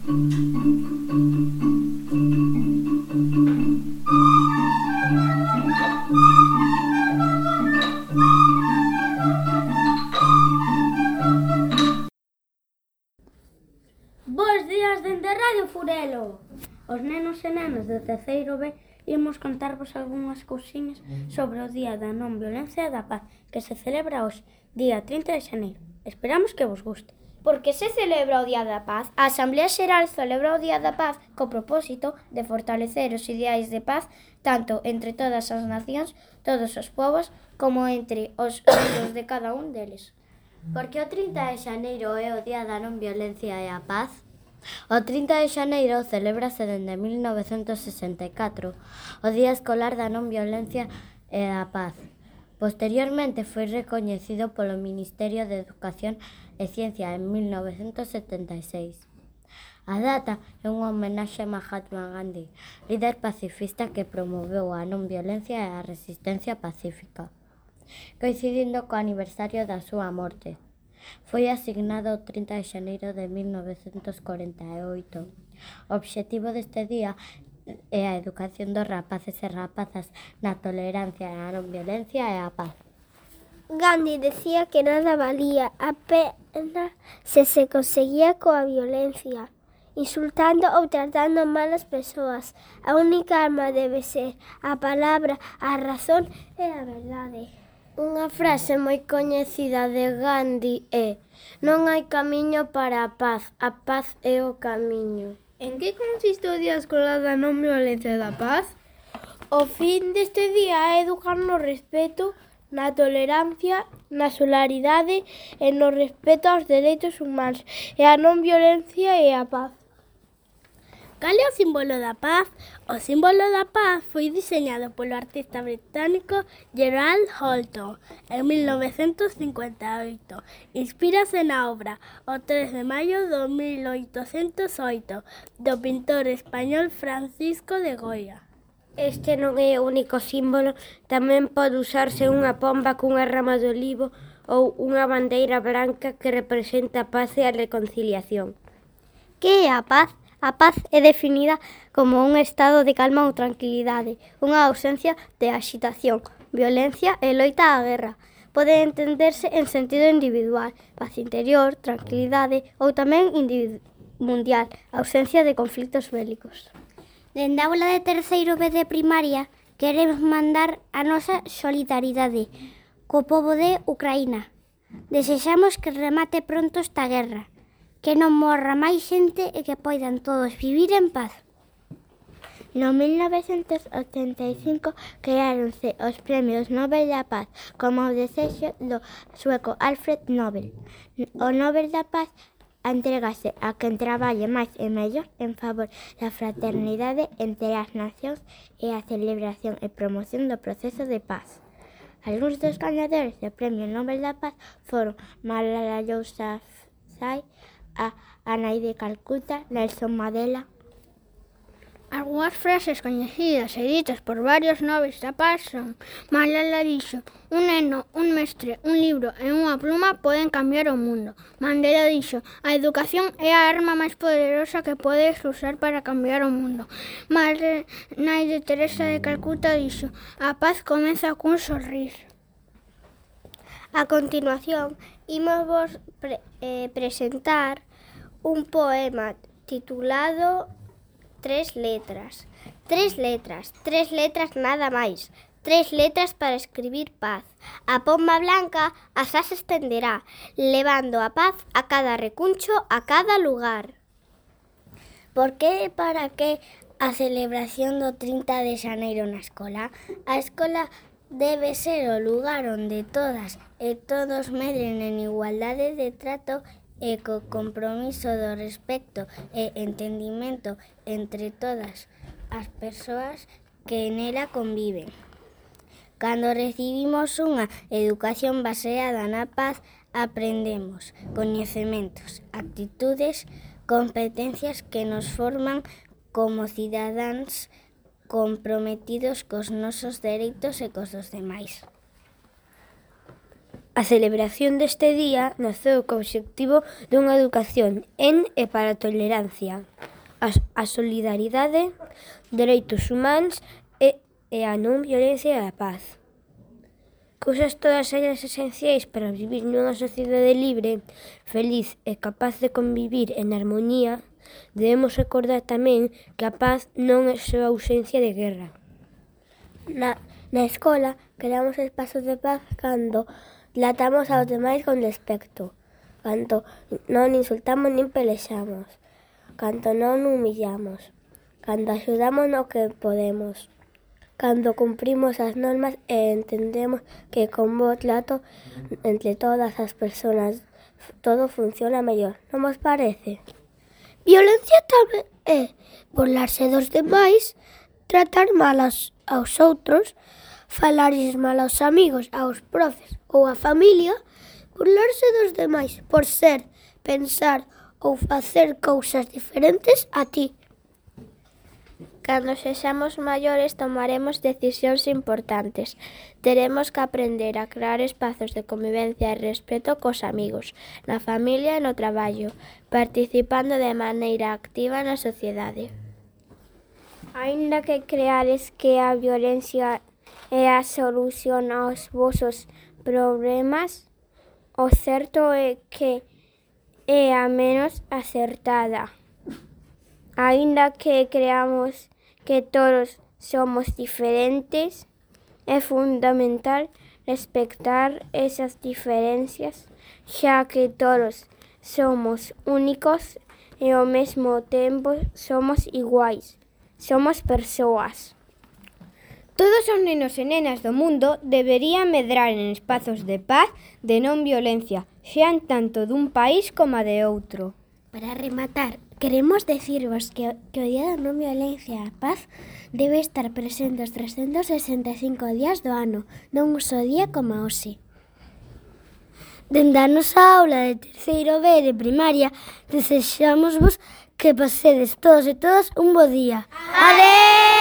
Bos días dende Radio Furelo. Os nenos e nenas do terceiro B imos contarvos algunhas cousiñas sobre o Día da Non Violencia e da Paz, que se celebra hoxe, día 30 de xaneiro. Esperamos que vos guste. Por que se celebra o Día da Paz? A Asamblea Xeral celebra o Día da Paz co propósito de fortalecer os ideais de paz tanto entre todas as nacións, todos os povos, como entre os membros de cada un deles. Porque o 30 de xaneiro é o Día da Non Violencia e a Paz? O 30 de xaneiro celébrase dende 1964, o Día Escolar da Non Violencia e a Paz. Posteriormente foi recoñecido polo Ministerio de Educación e Ciencia en 1976. A data é unha homenaxe a Mahatma Gandhi, líder pacifista que promoveu a non violencia e a resistencia pacífica, coincidindo co aniversario da súa morte. Foi asignado o 30 de xaneiro de 1948. O obxectivo deste día é a educación dos rapaces e rapazas na tolerancia e a non violencia e a paz. Gandhi decía que nada valía a pena se conseguía coa violencia, insultando ou tratando mal as persoas. A única arma debe ser a palabra, a razón e a verdade. Unha frase moi coñecida de Gandhi é: non hai camiño para a paz é o camiño. En que consiste o Día Escolar da Non Violencia e da Paz? O fin deste día é educar no respeto, na tolerancia, na solidaridade e no respeto aos dereitos humanos e a non violencia e a paz. Cal é o símbolo da paz? O símbolo da paz foi diseñado polo artista británico Gerald Holton en 1958. Inspírase na obra O 3 de maio de 1808 do pintor español Francisco de Goya. Este non é o único símbolo, tamén pode usarse unha pomba cunha rama de olivo ou unha bandeira branca que representa a paz e a reconciliación. Que é a paz? A paz é definida como un estado de calma ou tranquilidade, unha ausencia de axitación, violencia e loita á guerra. Pode entenderse en sentido individual, paz interior, tranquilidade ou tamén mundial, ausencia de conflitos bélicos. Dende a aula de terceiro B de primaria queremos mandar a nosa solidaridade co pobo de Ucraína. Desexamos que remate pronto esta guerra, que non morra máis xente e que poidan todos vivir en paz. No 1985 creáronse os Premios Nobel da Paz como o desexo do sueco Alfred Nobel. O Nobel da Paz entrégase a quen traballe máis e mellor en favor da fraternidade entre as nacións e a celebración e promoción do proceso de paz. Algúns dos gañadores do Premio Nobel da Paz foron Malala Yousafzai, a nai de Calcuta, Nelson Mandela. Algúas frases coñecidas e ditas por varios nobres da paz son: Malala dixo, un neno, un mestre, un libro e unha pluma poden cambiar o mundo. Mandela dixo, a educación é a arma máis poderosa que podes usar para cambiar o mundo. Nai de Teresa de Calcuta dixo, a paz comeza cun sorriso. A continuación, imos vos presentar un poema titulado Tres letras. Tres letras nada máis. Tres letras para escribir paz. A pomba blanca asá se estenderá, levando a paz a cada recuncho, a cada lugar. Por que e para que a celebración do 30 de xaneiro na escola? A escola debe ser o lugar onde todas e todos medren en igualdade de trato e co compromiso do respecto e entendimento entre todas as persoas que nela conviven. Cando recibimos unha educación baseada na paz, aprendemos coñecementos, actitudes, competencias que nos forman como cidadáns comprometidos cos nosos dereitos e cos dos demais. A celebración deste día naceu co obxectivo dunha educación en e para a tolerancia, a solidaridade, dereitos humanos e a non violencia e a paz. Cousas todas elas esenciais para vivir nunha sociedade libre, feliz e capaz de convivir en armonía. Debemos recordar tamén que a paz non é só a ausencia de guerra. Na escola creamos espazos de paz cando tratamos aos demais con respecto, cando non insultamos nin pelexamos, cando non humillamos, cando axudamos no que podemos, cando cumprimos as normas e entendemos que con bo trato entre todas as persoas todo funciona mellor. Non vos parece? Violencia tamén é burlarse dos demais, tratar mal aos outros, falarlles mal aos amigos, aos profes ou á familia, burlarse dos demais por ser, pensar ou facer cousas diferentes a ti. Cando sexamos maiores tomaremos decisións importantes. Teremos que aprender a crear espazos de convivencia e respeto cos amigos, na familia e no traballo, participando de maneira activa na sociedade. Aínda que creades que a violencia é a solución aos vosos problemas, o certo é que é a menos acertada. Aínda que creamos que todos somos diferentes, é fundamental respectar esas diferencias, xa que todos somos únicos e ao mesmo tempo somos iguais. Somos persoas. Todos os nenos e nenas do mundo deberían medrar en espazos de paz, de non violencia, xean tanto dun país como de outro. Para rematar, queremos decirvos que o Día da Non Violencia e a Paz debe estar presente os 365 días do ano, non un só día como hoxe. Dende a nosa aula de terceiro B de primaria, desexámosvos que pasedes todos e todas un bo día. Adeus!